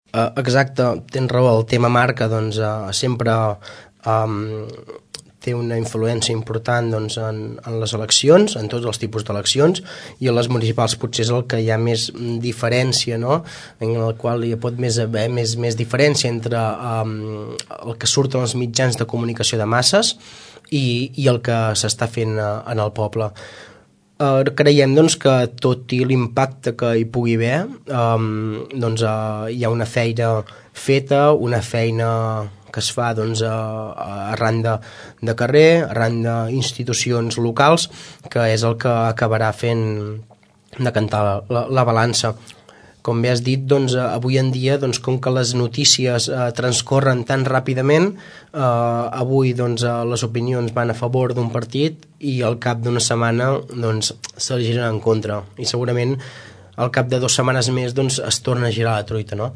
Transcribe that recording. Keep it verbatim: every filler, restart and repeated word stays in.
Uh, exacte, tens raó, el tema marca doncs, uh, sempre um, té una influència important doncs, en, en les eleccions, en tots els tipus d'eleccions, i en les municipals potser és el que hi ha més diferència, no? En el qual hi pot més haver més, més diferència entre um, el que surt en els mitjans de comunicació de masses i, i el que s'està fent uh, en el poble. Uh, creiem doncs, que tot i l'impacte que hi pugui haver, um, doncs, uh, hi ha una feina feta, una feina que es fa doncs, uh, arran de, de carrer, arran d'institucions locals, que és el que acabarà fent decantar la, la balança. Com bé has dit, doncs, avui en dia, doncs, com que les notícies eh, transcorren tan ràpidament, eh, avui doncs, les opinions van a favor d'un partit i al cap d'una setmana doncs, se giren en contra. I segurament al cap de dues setmanes més doncs, es torna a girar la truita, no?